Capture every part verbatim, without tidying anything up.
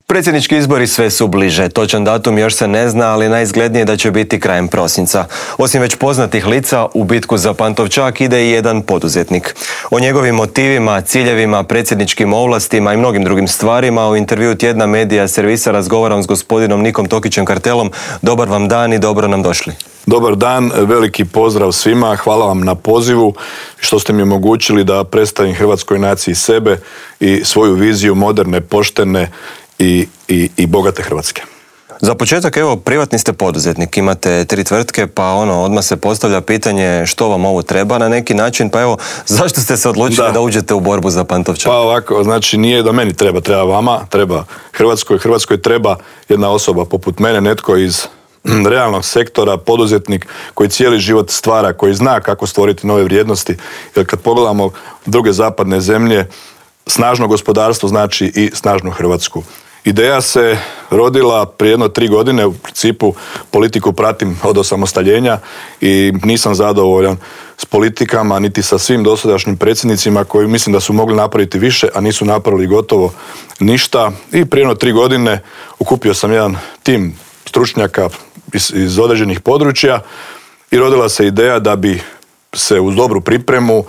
Predsjednički izbori sve su bliže. Točan datum još se ne zna, ali najizglednije da će biti krajem prosinca. Osim već poznatih lica, u bitku za Pantovčak ide i jedan poduzetnik. O njegovim motivima, ciljevima, predsjedničkim ovlastima i mnogim drugim stvarima u intervju Tjedna Medija servisa razgovaram s gospodinom Nikom Tokićem Kartelom. Dobar vam dan i dobro nam došli. Dobar dan, veliki pozdrav svima, hvala vam na pozivu što ste mi omogućili da predstavim hrvatskoj naciji sebe i svoju viziju moderne, poštene i, i, i bogate Hrvatske. Za početak, evo, privatni ste poduzetnik, imate tri tvrtke, pa ono, odmah se postavlja pitanje što vam ovo treba na neki način, pa evo, zašto ste se odlučili da, da uđete u borbu za Pantovčak? Pa ovako, znači nije da meni treba, treba vama, treba Hrvatskoj, Hrvatskoj treba jedna osoba poput mene, netko iz realnog sektora, poduzetnik koji cijeli život stvara, koji zna kako stvoriti nove vrijednosti, jer kad pogledamo druge zapadne zemlje, snažno gospodarstvo znači i snažnu Hrvatsku. Ideja se rodila prije jedno tri godine, u principu politiku pratim od osamostaljenja i nisam zadovoljan s politikama, niti sa svim dosadašnjim predsjednicima koji mislim da su mogli napraviti više, a nisu napravili gotovo ništa. I prije jedno tri godine okupio sam jedan tim stručnjaka iz, iz određenih područja i rodila se ideja da bi se uz dobru pripremu,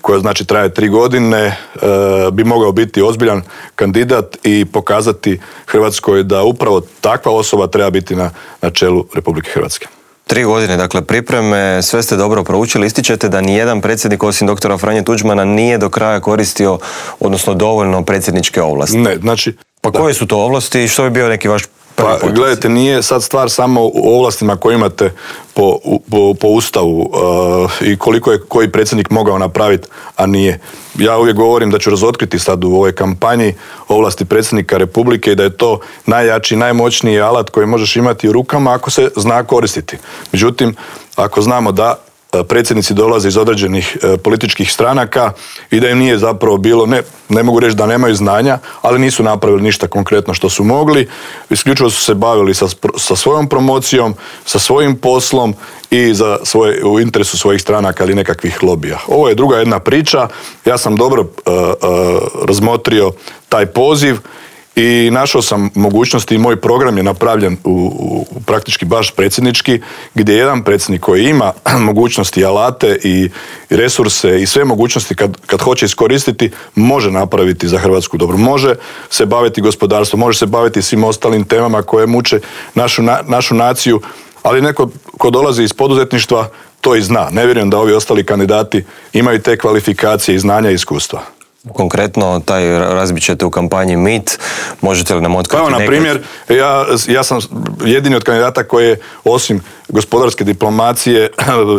koja znači traje tri godine, e, bi mogao biti ozbiljan kandidat i pokazati Hrvatskoj da upravo takva osoba treba biti na, na čelu Republike Hrvatske. Tri godine, dakle, pripreme, sve ste dobro proučili. Ističete da nijedan predsjednik osim doktora Franje Tuđmana nije do kraja koristio, odnosno dovoljno predsjedničke ovlasti. Ne, znači... Pa koje su to ovlasti i što bi bio neki vaš prvi Pa, potez? gledajte, nije sad stvar samo u ovlastima koje imate po, po, po Ustavu uh, i koliko je koji predsjednik mogao napraviti, a nije. Ja uvijek govorim da ću razotkriti sad u ovoj kampanji ovlasti predsjednika Republike i da je to najjači, najmoćniji alat koji možeš imati u rukama ako se zna koristiti. Međutim, ako znamo da predsjednici dolaze iz određenih e, političkih stranaka i da im nije zapravo bilo, ne, ne mogu reći da nemaju znanja, ali nisu napravili ništa konkretno što su mogli. Isključivo su se bavili sa, sa svojom promocijom, sa svojim poslom i za svoje, u interesu svojih stranaka ili nekakvih lobija. Ovo je druga jedna priča. Ja sam dobro e, e, razmotrio taj poziv i našao sam mogućnosti i moj program je napravljen u, u praktički baš predsjednički, gdje jedan predsjednik koji ima mogućnosti, alate i resurse i sve mogućnosti kad, kad hoće iskoristiti, može napraviti za Hrvatsku dobro. Može se baviti gospodarstvom, može se baviti svim ostalim temama koje muče našu, na, našu naciju, ali neko ko dolazi iz poduzetništva to i zna. Ne vjerujem da ovi ostali kandidati imaju te kvalifikacije i znanja i iskustva. Konkretno, taj razbit ćete u kampanji Mit. Možete li nam otkriti nekad? Pa evo, na primjer, ja, ja sam jedini od kandidata koji je, osim gospodarske diplomacije,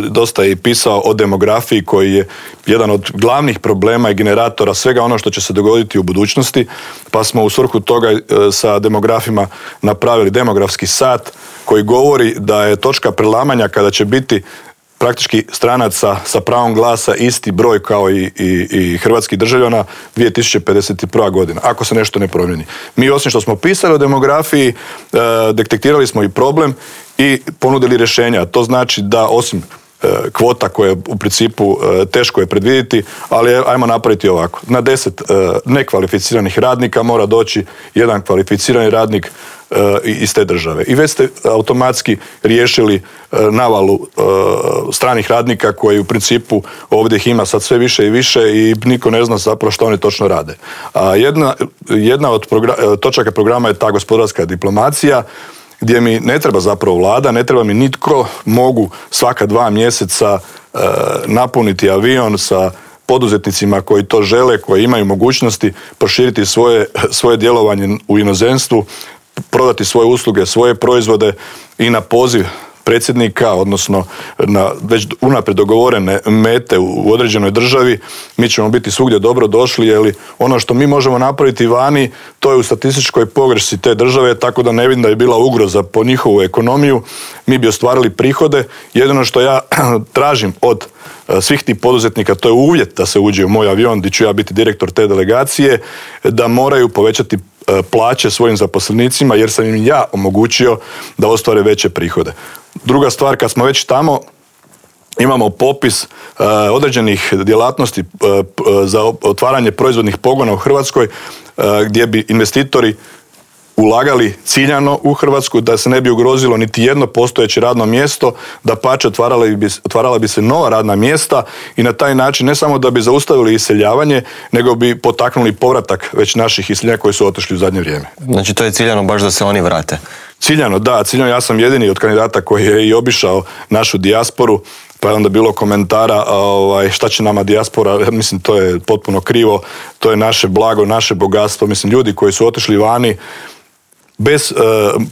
dosta i pisao o demografiji, koji je jedan od glavnih problema i generatora svega ono što će se dogoditi u budućnosti. Pa smo u svrhu toga sa demografima napravili demografski sat koji govori da je točka prelamanja kada će biti praktički stranaca sa pravom glasa isti broj kao i, i, i hrvatskih državljana dvije tisuće pedeset prva godina, ako se nešto ne promijeni. Mi osim što smo pisali o demografiji, e, detektirali smo i problem i ponudili rješenja. To znači da osim e, kvota koje u principu e, teško je predvidjeti, ali ajmo napraviti ovako. Na deset e, nekvalificiranih radnika mora doći jedan kvalificirani radnik iz te države. I već ste automatski riješili navalu stranih radnika koji u principu ovdje ih ima sad sve više i više i niko ne zna zapravo što oni točno rade. A jedna, jedna od progra- točaka programa je ta gospodarska diplomacija gdje mi ne treba zapravo vlada, ne treba mi nitko, mogu svaka dva mjeseca napuniti avion sa poduzetnicima koji to žele, koji imaju mogućnosti proširiti svoje, svoje djelovanje u inozemstvu, prodati svoje usluge, svoje proizvode i na poziv predsjednika, odnosno na već unaprijed dogovorene mete u određenoj državi, mi ćemo biti svugdje dobro došli, jer ono što mi možemo napraviti vani, to je u statističkoj pogrešci te države, tako da ne vidim da je bila ugroza po njihovu ekonomiju, mi bi ostvarili prihode. Jedino što ja tražim od svih tih poduzetnika, to je uvjet da se uđe u moj avion, gdje ću ja biti direktor te delegacije, da moraju povećati plaće svojim zaposlenicima, jer sam im ja omogućio da ostvare veće prihode. Druga stvar, kad smo već tamo, imamo popis uh, određenih djelatnosti uh, za otvaranje proizvodnih pogona u Hrvatskoj, uh, gdje bi investitori ulagali ciljano u Hrvatsku, da se ne bi ugrozilo niti jedno postojeće radno mjesto, da pače otvarala bi, otvarala bi se nova radna mjesta i na taj način ne samo da bi zaustavili iseljavanje, nego bi potaknuli povratak već naših iseljenja koji su otišli u zadnje vrijeme. Znači to je ciljano baš da se oni vrate? Ciljano, da. Ciljano, ja sam jedini od kandidata koji je i obišao našu dijasporu, pa je onda bilo komentara ovaj, šta će nama dijaspora, mislim to je potpuno krivo, to je naše blago, naše bogatstvo, mislim ljudi koji su otišli vani bez e,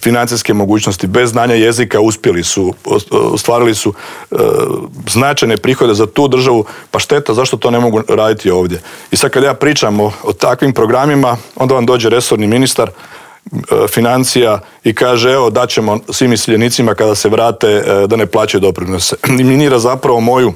financijske mogućnosti, bez znanja jezika uspjeli su, ostvarili su e, značajne prihode za tu državu, pa šteta, zašto to ne mogu raditi ovdje. I sad kad ja pričam o, o takvim programima, onda vam dođe resorni ministar financija i kaže evo daćemo svim iseljenicima kada se vrate da ne plaćaju doprinose. Eliminira zapravo moju,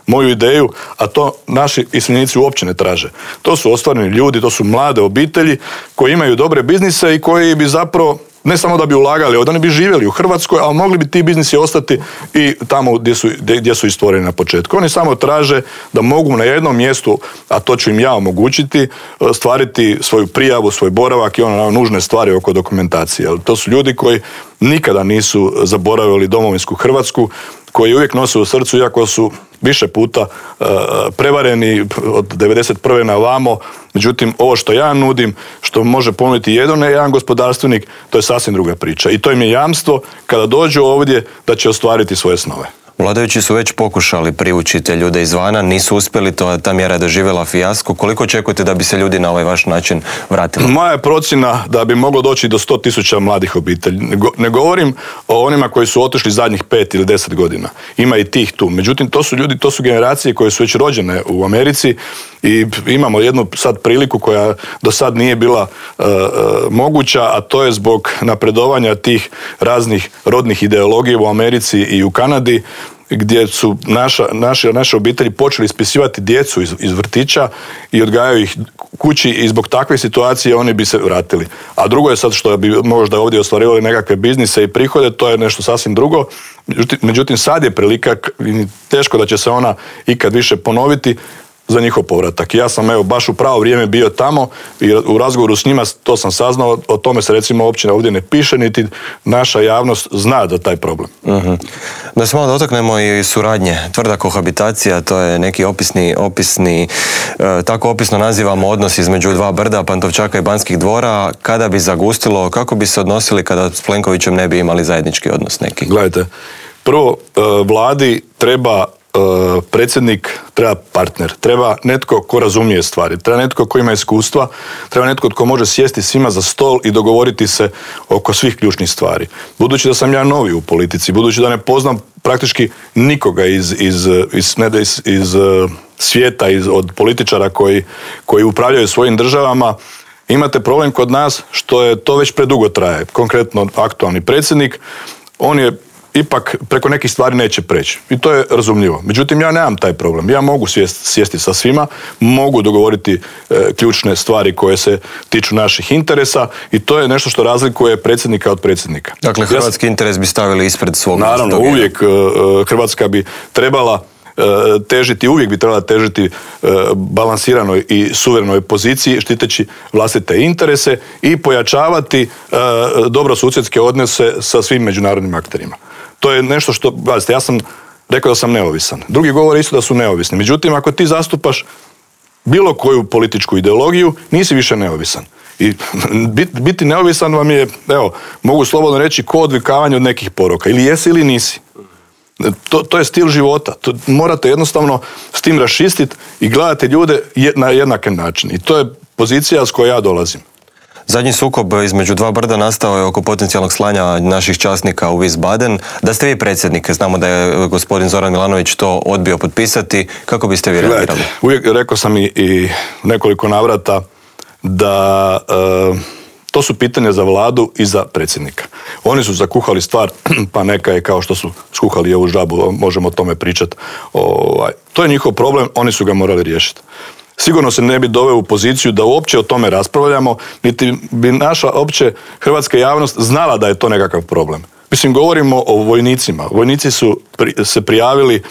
moju ideju, a to naši iseljenici uopće ne traže. To su ostvareni ljudi, to su mlade obitelji koji imaju dobre biznise i koji bi zapravo ne samo da bi ulagali, oni bi živjeli u Hrvatskoj, ali mogli bi ti biznisi ostati i tamo gdje su, gdje su stvoreni na početku. Oni samo traže da mogu na jednom mjestu, a to ću im ja omogućiti, stvariti svoju prijavu, svoj boravak i ono nužne stvari oko dokumentacije. To su ljudi koji nikada nisu zaboravili domovinsku Hrvatsku, koji uvijek nose u srcu, iako su više puta uh, prevareni od devedeset prve na vamo. Međutim, ovo što ja nudim, što može ponuditi jedan, jedan gospodarstvenik, to je sasvim druga priča. I to im je jamstvo kada dođu ovdje da će ostvariti svoje snove. Vladajući su već pokušali privući te ljude izvana, nisu uspjeli, to, ta mjera je doživjela fijasko. Koliko očekujete da bi se ljudi na ovaj vaš način vratili? Moja je procjena da bi moglo doći do sto tisuća mladih obitelji. Ne govorim o onima koji su otišli zadnjih pet ili deset godina. Ima i tih tu. Međutim, to su ljudi, to su generacije koje su već rođene u Americi i imamo jednu sad priliku koja do sad nije bila uh, moguća, a to je zbog napredovanja tih raznih rodnih ideologija u Americi i u Kanadi, gdje su naša, naše, naše obitelji počeli ispisivati djecu iz, iz vrtića i odgajaju ih kući i zbog takve situacije oni bi se vratili. A drugo je sad što bi možda ovdje ostvarivali nekakve biznise i prihode, to je nešto sasvim drugo. Međutim, međutim sad je prilika, teško da će se ona ikad više ponoviti, za njihov povratak. Ja sam evo baš u pravo vrijeme bio tamo i u razgovoru s njima to sam saznao, o tome se recimo uopće ovdje ne piše, niti naša javnost zna za taj problem. Uh-huh. Da se malo dotaknemo i suradnje. Tvrda kohabitacija, to je neki opisni, opisni e, tako opisno nazivamo odnos između dva brda, Pantovčaka i Banskih dvora. Kada bi zagustilo, kako bi se odnosili kada s Plenkovićem ne bi imali zajednički odnos neki? Gledajte, prvo e, vladi treba predsjednik, treba partner, treba netko ko razumije stvari, treba netko ko ima iskustva, treba netko tko može sjesti svima za stol i dogovoriti se oko svih ključnih stvari. Budući da sam ja novi u politici, budući da ne poznam praktički nikoga iz, iz, iz, ne, iz, iz svijeta, iz, od političara koji, koji upravljaju svojim državama, imate problem kod nas što je to već predugo traje. Konkretno aktualni predsjednik, on je ipak preko nekih stvari neće preći. I to je razumljivo. Međutim, ja nemam taj problem. Ja mogu sjesti, sjesti sa svima, mogu dogovoriti e, ključne stvari koje se tiču naših interesa i to je nešto što razlikuje predsjednika od predsjednika. Dakle, hrvatski ja, interes bi stavili ispred svog. Naravno, uvijek e, Hrvatska bi trebala težiti, uvijek bi trebala težiti balansiranoj i suverenoj poziciji, štiteći vlastite interese i pojačavati dobrosusjedske odnose sa svim međunarodnim akterima. To je nešto što, gledajte, ja sam rekao da sam neovisan. Drugi govore isto da su neovisni. Međutim, ako ti zastupaš bilo koju političku ideologiju, nisi više neovisan. I biti neovisan vam je, evo, mogu slobodno reći, ko odvikavanje od nekih poroka. Ili jesi ili nisi. To, to je stil života. To, morate jednostavno s tim raščistiti i gledate ljude na jednak način. I to je pozicija s kojoj ja dolazim. Zadnji sukob između dva brda nastao je oko potencijalnog slanja naših časnika u Wiesbaden. Da ste vi predsjednik, znamo da je gospodin Zoran Milanović to odbio potpisati. Kako biste vi reagirali? Uvijek rekao sam i, i nekoliko navrata da e, to su pitanja za vladu i za predsjednika. Oni su zakuhali stvar, pa neka je kao što su skuhali ovu žabu, možemo o tome pričati. Ovaj, to je njihov problem, oni su ga morali riješiti. Sigurno se ne bi doveo u poziciju da uopće o tome raspravljamo, niti bi naša opće hrvatska javnost znala da je to nekakav problem. Mislim, govorimo o vojnicima. Vojnici su pri, se prijavili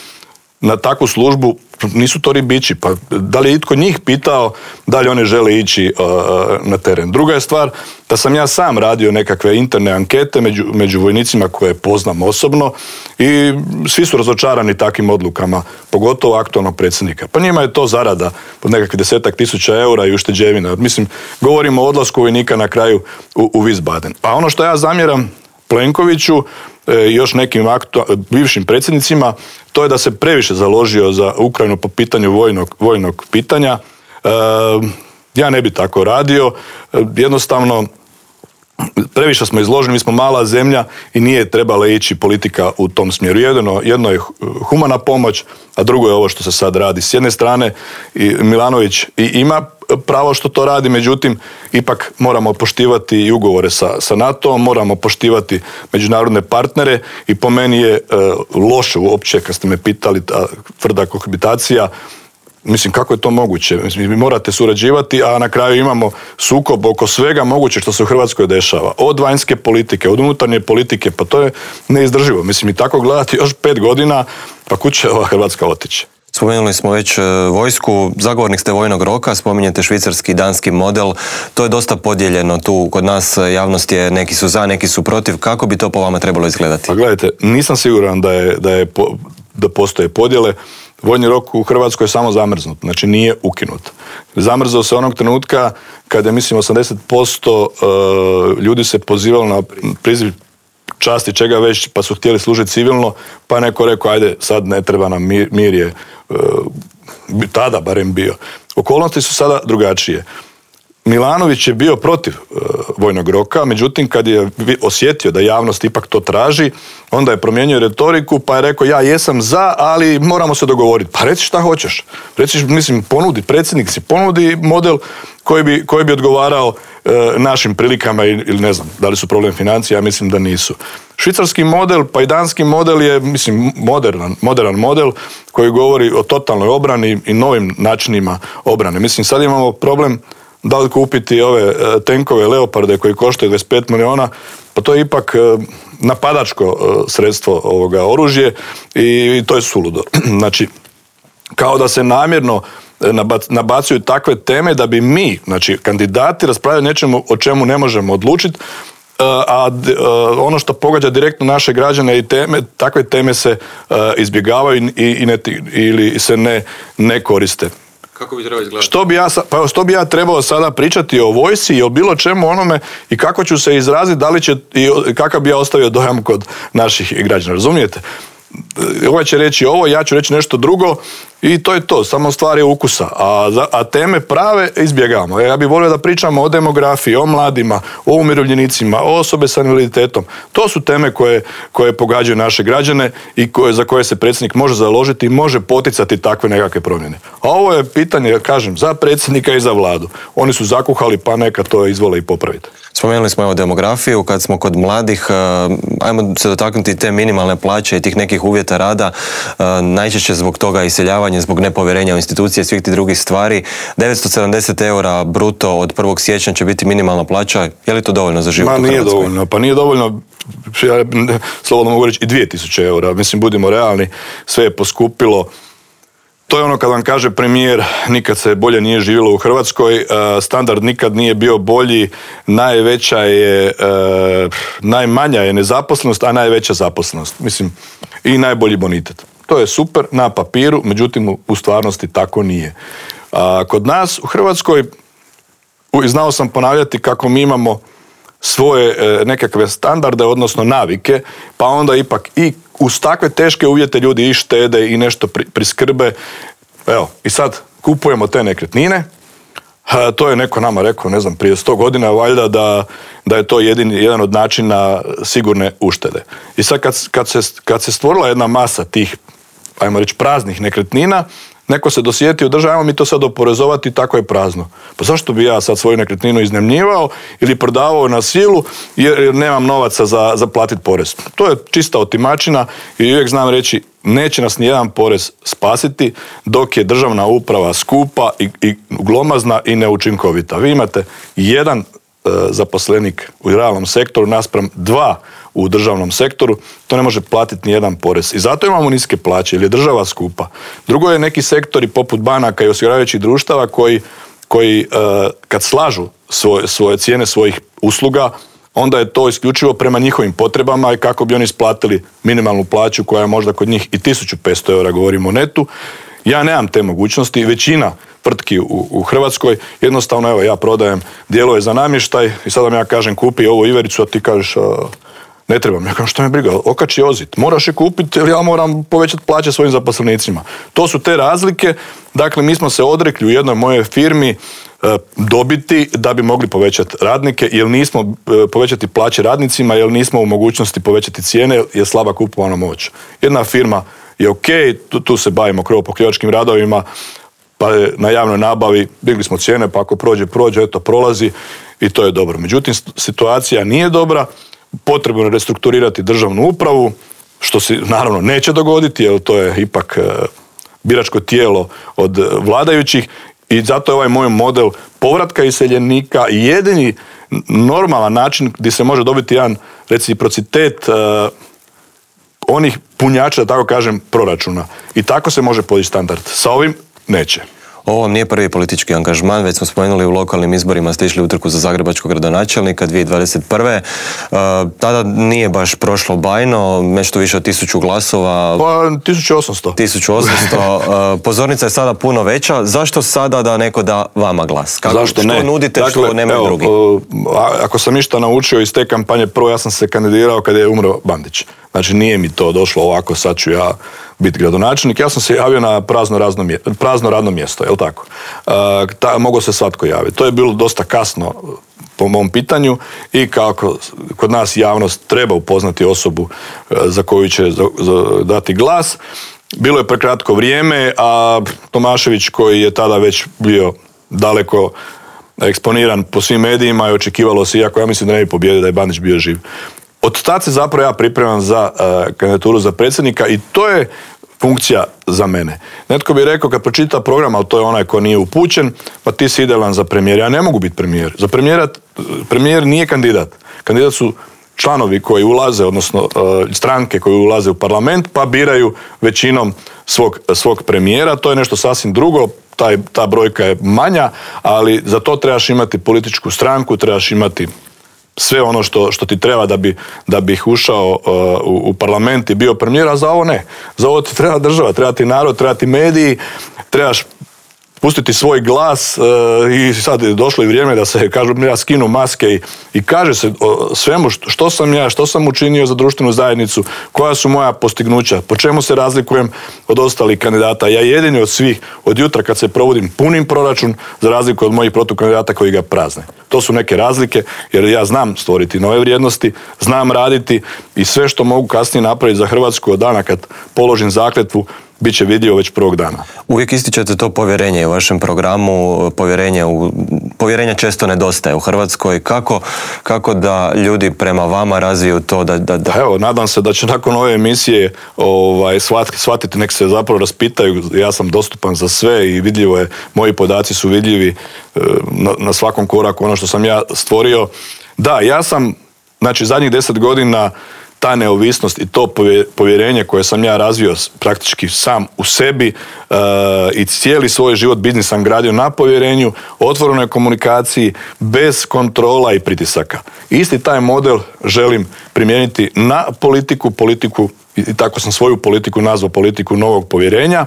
na takvu službu nisu to ribići. Pa da li je itko njih pitao da li oni žele ići uh, na teren? Druga je stvar da sam ja sam radio nekakve interne ankete među, među vojnicima koje poznam osobno i svi su razočarani takvim odlukama, pogotovo aktualnog predsjednika. Pa njima je to zarada pod nekakvih desetak tisuća eura i ušteđevina. Mislim, govorimo o odlasku vojnika na kraju u, u Wiesbaden. A ono što ja zamjeram Plenkoviću i još nekim aktu, bivšim predsjednicima, to je da se previše založio za Ukrajinu po pitanju vojnog, vojnog pitanja. E, ja ne bi tako radio. E, jednostavno, previše smo izloženi, mi smo mala zemlja i nije trebala ići politika u tom smjeru. Jedno, jedno je humana pomoć, a drugo je ovo što se sad radi. S jedne strane, Milanović i ima pravo što to radi, međutim, ipak moramo poštivati i ugovore sa, sa NATO-om, moramo poštivati međunarodne partnere i po meni je e, loše uopće, kad ste me pitali, ta tvrda kohabitacija. Mislim, kako je to moguće? Mislim, vi morate surađivati, a na kraju imamo sukob oko svega moguće što se u Hrvatskoj dešava. Od vanjske politike, od unutarnje politike, pa to je neizdrživo. Mislim, i tako gledati još pet godina, pa kud će ova Hrvatska otići? Spomenuli smo već vojsku, zagovornik ste vojnog roka, spominjete švicarski i danski model, to je dosta podijeljeno tu kod nas, javnost je, neki su za, neki su protiv, kako bi to po vama trebalo izgledati? Pa gledajte, nisam siguran da, je, da, je, da postoje podjele. Vojni rok u Hrvatskoj je samo zamrznut, znači nije ukinut. Zamrzao se onog trenutka kada je, mislim, osamdeset posto ljudi se pozivalo na priziv časti čega već, pa su htjeli služiti civilno, pa neko rekao, ajde, sad ne treba nam mir, mir je tada barem bio. Okolnosti su sada drugačije. Milanović je bio protiv uh, vojnog roka, međutim kad je osjetio da javnost ipak to traži, onda je promijenio retoriku pa je rekao ja jesam za, ali moramo se dogovoriti. Pa reci šta hoćeš. Reci, mislim, ponudi, predsjednik si ponudi model koji bi, koji bi odgovarao uh, našim prilikama ili ne znam, da li su problem financija, ja mislim da nisu. Švicarski model pa i danski model je, mislim, moderan, modern model koji govori o totalnoj obrani i novim načinima obrane. Mislim, sad imamo problem da li kupiti ove tenkove Leoparde koji koštaju dvadeset pet milijuna, pa to je ipak napadačko sredstvo ovoga oružje i to je suludo. Znači, kao da se namjerno nabacuju takve teme da bi mi, znači kandidati, raspravljali nečemu o čemu ne možemo odlučiti, a ono što pogađa direktno naše građane i teme, takve teme se izbjegavaju i ne, ili se ne, ne koriste. Kako bi trebalo izgledati? Što bi, ja, pa što bi ja trebao sada pričati o vojsci i o bilo čemu onome i kako ću se izraziti, da li će, i kakav bi ja ostavio dojam kod naših građana, razumijete? Ovaj će reći ovo, ja ću reći nešto drugo i to je to, samo stvar je ukusa, a, a teme prave izbjegavamo. Ja bih volio da pričamo o demografiji, o mladima, o umirovljenicima, o osobe sa invaliditetom. To su teme koje, koje pogađaju naše građane i koje, za koje se predsjednik može založiti i može poticati takve nekakve promjene. A ovo je pitanje, kažem, za predsjednika i za vladu. Oni su zakuhali, pa neka to izvole i popraviti. Spomenuli smo evo demografiju, kad smo kod mladih, ajmo se dotaknuti te minimalne plaće i tih nekih uvjeta rada, najčešće zbog toga iseljavanje, zbog nepovjerenja u institucije i svih tih drugih stvari. devetsto sedamdeset eura bruto od prvog siječnja će biti minimalna plaća, je li to dovoljno za život u Hrvatskoj? Ma nije dovoljno, pa nije dovoljno, ja slobodno mogu reći i dvije tisuće eura, mislim budimo realni, sve je poskupilo. To je ono kad vam kaže premijer, nikad se bolje nije živjelo u Hrvatskoj, standard nikad nije bio bolji, najveća je, najmanja je nezaposlenost, a najveća zaposlenost. Mislim, i najbolji bonitet. To je super na papiru, međutim u stvarnosti tako nije. Kod nas u Hrvatskoj, znao sam ponavljati kako mi imamo svoje nekakve standarde, odnosno navike, pa onda ipak i uz takve teške uvjete ljudi i štede i nešto priskrbe. Evo, i sad kupujemo te nekretnine. To je neko nama rekao, ne znam, prije sto godina valjda da, da je to jedini, jedan od načina sigurne uštede. I sad kad, kad, se, kad se stvorila jedna masa tih, ajmo reći, praznih nekretnina, neko se dosjetio, država, ajmo mi to sad oporezovati, tako je prazno. Pa zašto bi ja sad svoju nekretninu iznajmljivao ili prodavao na silu jer nemam novaca za, za platiti porez? To je čista otimačina i uvijek znam reći, neće nas nijedan porez spasiti dok je državna uprava skupa i, i glomazna i neučinkovita. Vi imate jedan zaposlenik u realnom sektoru naspram dva u državnom sektoru, to ne može platiti ni jedan porez. I zato imamo niske plaće, jer je država skupa. Drugo je neki sektori poput banaka i osiguravajućih društava koji, koji kad slažu svoje, svoje cijene svojih usluga, onda je to isključivo prema njihovim potrebama i kako bi oni isplatili minimalnu plaću koja je možda kod njih i tisuću petsto eura, govorimo o netu. Ja nemam te mogućnosti, većina tvrtki u, u Hrvatskoj, jednostavno evo ja prodajem dijelove za namještaj i sada vam ja kažem kupi ovu ivericu, a ti kažeš a, ne trebam. Ja kažem što me briga, okači ozit, moraš je kupiti jer ja moram povećati plaće svojim zaposlenicima. To su te razlike, dakle mi smo se odrekli u jednoj mojoj firmi dobiti da bi mogli povećati radnike, jer nismo povećati plaće radnicima, jer nismo u mogućnosti povećati cijene, jer je slaba kupovna moć. Jedna firma je ok, tu, tu se bavimo krovopokrivačkim radovima, pa na javnoj nabavi digli smo cijene, pa ako prođe, prođe, eto prolazi i to je dobro. Međutim, situacija nije dobra, potrebno je restrukturirati državnu upravu, što se naravno neće dogoditi, jer to je ipak biračko tijelo od vladajućih. I zato je ovaj moj model povratka iseljenika jedini normalan način gdje se može dobiti jedan reciprocitet uh, onih punjača, da tako kažem, proračuna. I tako se može podići standard. Sa ovim neće. Ovo vam nije prvi politički angažman, već smo spomenuli u lokalnim izborima ste išli u trku za zagrebačkog gradonačelnika dvije tisuće dvadeset prve. Uh, tada nije baš prošlo bajno, nešto više od tisuću glasova. Pa tisuću osamsto. tisuću osamsto. Uh, pozornica je sada puno veća. Zašto sada da neko da vama glas? Kako, Zašto ne? Što nudite, dakle, što nemaju evo, drugi? Uh, ako sam išta naučio iz te kampanje, prvo ja sam se kandidirao kad je umro Bandić. Znači nije mi to došlo ovako, sad ću ja biti gradonačelnik. Ja sam se javio na prazno, razno, prazno radno mjesto, jel tako? Uh, ta, mogao se svatko javiti. To je bilo dosta kasno po mom pitanju i kako kod nas javnost treba upoznati osobu uh, za koju će za, za, dati glas. Bilo je prekratko vrijeme, a Tomašević koji je tada već bio daleko eksponiran po svim medijima i očekivalo se, iako ja mislim da ne bi pobjedio da je Bandić bio živ. Od tad se zapravo ja pripremam za uh, kandidaturu za predsjednika i to je funkcija za mene. Netko bi rekao kad pročita program, ali to je onaj ko nije upućen, pa ti si idealan za premijer. Ja ne mogu biti premijer. Za premijera, premijer nije kandidat. Kandidat su članovi koji ulaze, odnosno uh, stranke koji ulaze u parlament, pa biraju većinom svog, svog premijera. To je nešto sasvim drugo. Taj, ta brojka je manja, ali za to trebaš imati političku stranku, trebaš imati sve ono što, što ti treba da bi, da bi ušao uh, u, u parlament i bio premijer, a za ovo ne. Za ovo ti treba država, treba ti narod, treba ti mediji, trebaš pustiti svoj glas uh, i sad je došlo i vrijeme da se, kažu, ja skinu maske i, i kaže se o svemu što, što sam ja, što sam učinio za društvenu zajednicu, koja su moja postignuća, po čemu se razlikujem od ostalih kandidata. Ja jedini od svih, od jutra kad se provodim punim proračun, za razliku od mojih protukandidata koji ga prazne. To su neke razlike, jer ja znam stvoriti nove vrijednosti, znam raditi i sve što mogu kasnije napraviti za Hrvatsku od dana kad položim zakletvu, bit će vidljivo već prvog dana. Uvijek ističete to povjerenje u vašem programu, povjerenje u, povjerenja često nedostaje u Hrvatskoj. Kako, kako da ljudi prema vama razviju to da... da, da... Pa evo, nadam se da će nakon ove emisije ovaj, shvatiti, shvatiti, nek se zapravo raspitaju. Ja sam dostupan za sve i vidljivo je, moji podaci su vidljivi na, na svakom koraku, ono što sam ja stvorio. Da, ja sam, znači, zadnjih deset godina ta neovisnost i to povjerenje koje sam ja razvio praktički sam u sebi uh, i cijeli svoj život biznis sam gradio na povjerenju, otvorenoj komunikaciji, bez kontrola i pritisaka. Isti taj model želim primijeniti na politiku, politiku i tako sam svoju politiku nazvao politiku novog povjerenja,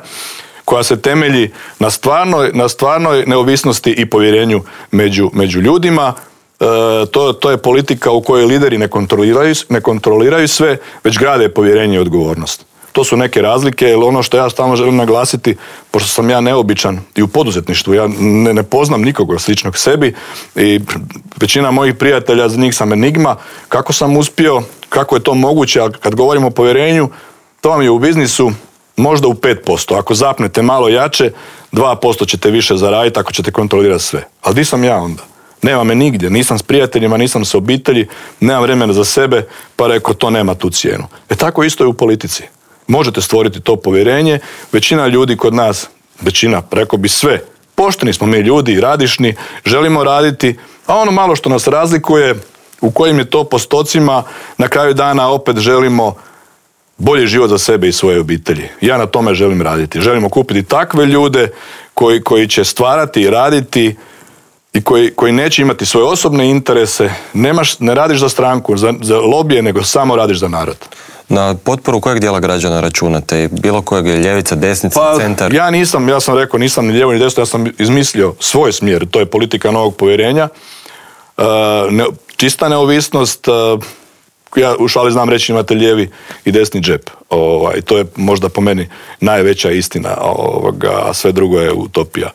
koja se temelji na stvarnoj, na stvarnoj neovisnosti i povjerenju među, među ljudima. E, to, to je politika u kojoj lideri ne kontroliraju, ne kontroliraju sve, već grade povjerenje i odgovornost. To su neke razlike, jer ono što ja stalno želim naglasiti, pošto sam ja neobičan i u poduzetništvu, ja ne, ne poznam nikoga sličnog sebi i većina mojih prijatelja, za njih sam enigma, kako sam uspio, kako je to moguće, ali kad govorimo o povjerenju, to vam je u biznisu možda u pet posto. Ako zapnete malo jače, dva posto ćete više zaraditi ako ćete kontrolirati sve. Ali di sam ja onda? Nema me nigdje, nisam s prijateljima, nisam s obitelji, nemam vremena za sebe, pa rekao to nema tu cijenu. E tako isto je u politici. Možete stvoriti to povjerenje, većina ljudi kod nas, većina, rekao bi sve, pošteni smo mi ljudi, radišni, želimo raditi A ono malo što nas razlikuje, u kojim je to postocima, na kraju dana opet želimo bolji život za sebe i svoje obitelji. Ja na tome želim raditi. Želimo kupiti takve ljude koji, koji će stvarati i raditi i koji, koji neće imati svoje osobne interese. Nemaš, ne radiš za stranku, za, za lobije, nego samo radiš za narod. Na potporu kojeg dijela građana računate? Bilo kojeg je ljevica, desnica, pa, centar? Ja nisam, ja sam rekao, nisam ni lijevo ni desno, ja sam izmislio svoj smjer. To je politika novog povjerenja. Uh, ne, čista neovisnost, uh, ja u šali znam reći imate lijevi i desni džep. Ovaj, to je možda po meni najveća istina, ovoga, a sve drugo je utopija.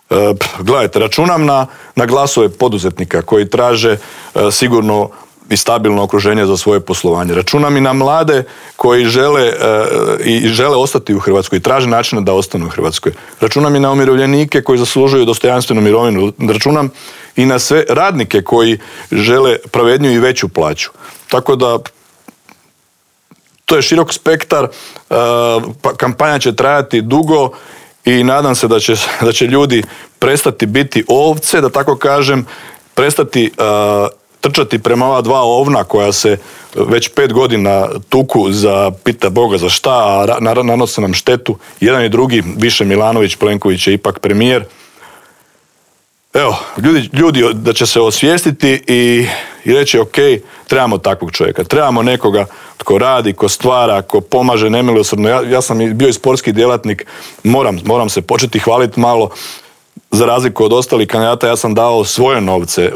Uh, gledajte, računam na, na glasove poduzetnika koji traže uh, sigurno i stabilno okruženje za svoje poslovanje. Računam i na mlade koji žele e, i žele ostati u Hrvatskoj i traže načina da ostanu u Hrvatskoj. Računam i na umirovljenike koji zaslužuju dostojanstvenu mirovinu. Računam i na sve radnike koji žele pravedniju i veću plaću. Tako da to je širok spektar, e, pa kampanja će trajati dugo i nadam se da će, da će ljudi prestati biti ovce, da tako kažem, prestati e, trčati prema ova dva ovna koja se već pet godina tuku za pita Boga za šta, a nanose nam štetu. Jedan i drugi, više Milanović, Plenković je ipak premijer. Evo, ljudi, ljudi da će se osvijestiti i, i reći ok, trebamo takvog čovjeka. Trebamo nekoga tko radi, ko stvara, ko pomaže nemilosrdno. Ja, ja sam bio i sportski djelatnik, moram, moram se početi hvaliti malo. Za razliku od ostalih kandidata, ja sam dao svoje novce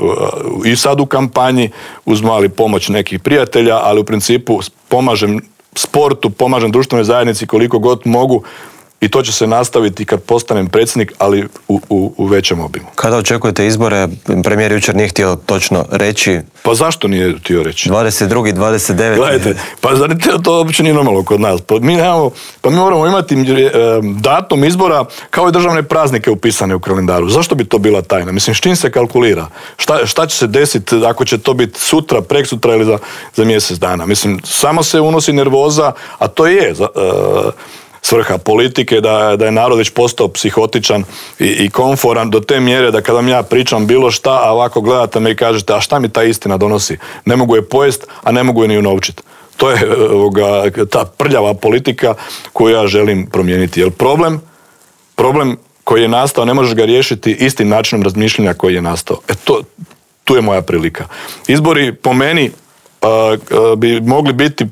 i sad u kampanji, uz mali pomoć nekih prijatelja, ali u principu pomažem sportu, pomažem društvenoj zajednici koliko god mogu i to će se nastaviti kad postanem predsjednik, ali u, u, u većem obimu. Kada očekujete izbore? Premijer jučer nije htio točno reći. Pa zašto nije htio reći? dvadeset drugi, dvadeset deveti Gledajte, pa zar to uopće nije normalno kod nas? Pa mi, nemamo, pa mi moramo imati datum izbora kao i državne praznike upisane u kalendaru. Zašto bi to bila tajna? Mislim, s čim se kalkulira? Šta, šta će se desiti ako će to biti sutra, preksutra ili za, za mjesec dana? Mislim, samo se unosi nervoza, a to je za, uh, svrha politike, da, da je narod već postao psihotičan i, i komforan do te mjere da kada vam ja pričam bilo šta, a ovako gledate me i kažete, a šta mi ta istina donosi? Ne mogu je pojest, a ne mogu je ni unovčiti. To je ovoga, ta prljava politika koju ja želim promijeniti. Jer problem, problem koji je nastao, ne možeš ga riješiti istim načinom razmišljanja koji je nastao. E to, tu je moja prilika. Izbori po meni uh, uh, bi mogli biti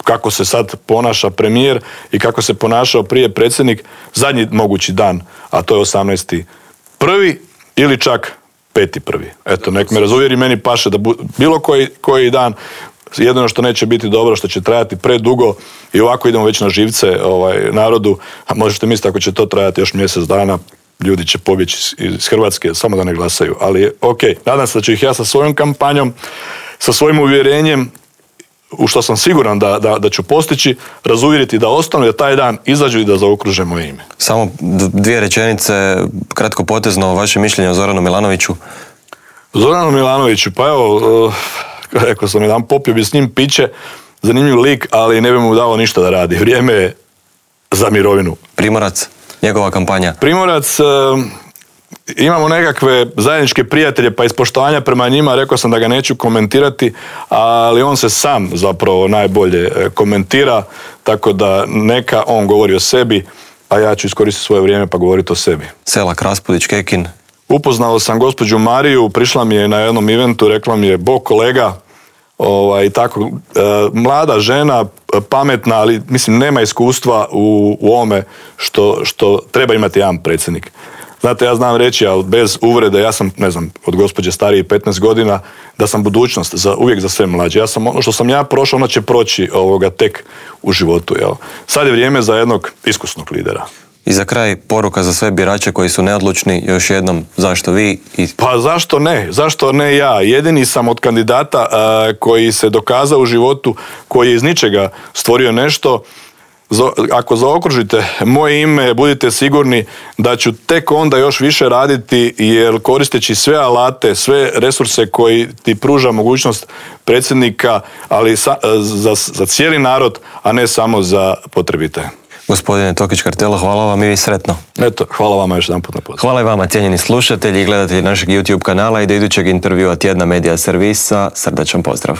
kako se sad ponaša premijer i kako se ponašao prije predsjednik, zadnji mogući dan, a to je osamnaesti prvi ili čak peti prvi. Eto, nek me razuvjeri, meni paše da bu, bilo koji, koji dan, jedino što neće biti dobro, što će trajati predugo i ovako idemo već na živce ovaj, narodu, a možete misliti ako će to trajati još mjesec dana, ljudi će pobjeći iz Hrvatske, samo da ne glasaju. Ali ok, nadam se da ću ih ja sa svojom kampanjom, sa svojim uvjerenjem, u što sam siguran da, da, da ću postići, razuvjeriti da ostanu, da taj dan izađu i da zaokruže moje ime. Samo dvije rečenice, kratko potezno, vaše mišljenje o Zoranu Milanoviću? Zoranu Milanoviću, pa evo, rekao sam jedan, popio bi s njim piće, zanimljiv lik, ali ne bi mu dao ništa da radi. Vrijeme je za mirovinu. Primorac, njegova kampanja? Primorac, imamo nekakve zajedničke prijatelje, pa iz poštovanja prema njima rekao sam da ga neću komentirati, ali on se sam zapravo najbolje komentira, tako da neka on govori o sebi, a ja ću iskoristiti svoje vrijeme pa govoriti o sebi. Selak, Raspudić, Kekin? Upoznao sam gospođu Mariju, prišla mi je na jednom eventu, rekla mi je, bog kolega, ovaj, tako, e, mlada žena, pametna, ali mislim nema iskustva u, u ovome što, što treba imati jedan predsjednik. Znate, ja znam reći, ali bez uvrede, ja sam, ne znam, od gospođe starije petnaest godina, da sam budućnost za, uvijek za sve mlađe. Ja sam, ono što sam ja prošao, ono će proći ovoga tek u životu. Jel? Sad je vrijeme za jednog iskusnog lidera. I za kraj, poruka za sve birače koji su neodlučni, još jednom, zašto vi? I... Pa zašto ne? Zašto ne ja? Jedini sam od kandidata a, koji se dokazao u životu, koji je iz ničega stvorio nešto. Ako zaokružite moje ime, budite sigurni da ću tek onda još više raditi, jer koristeći sve alate, sve resurse koji ti pruža mogućnost predsjednika, ali sa, za, za cijeli narod, a ne samo za potrebite. Gospodine Tokić-Kartelo, hvala vam i vi sretno. Eto, hvala vama još jedan put na pozivu. Hvala i vama, cijenjeni slušatelji i gledatelji našeg YouTube kanala i do idućeg intervjua Tjedna Medija Servisa. Srdačan pozdrav.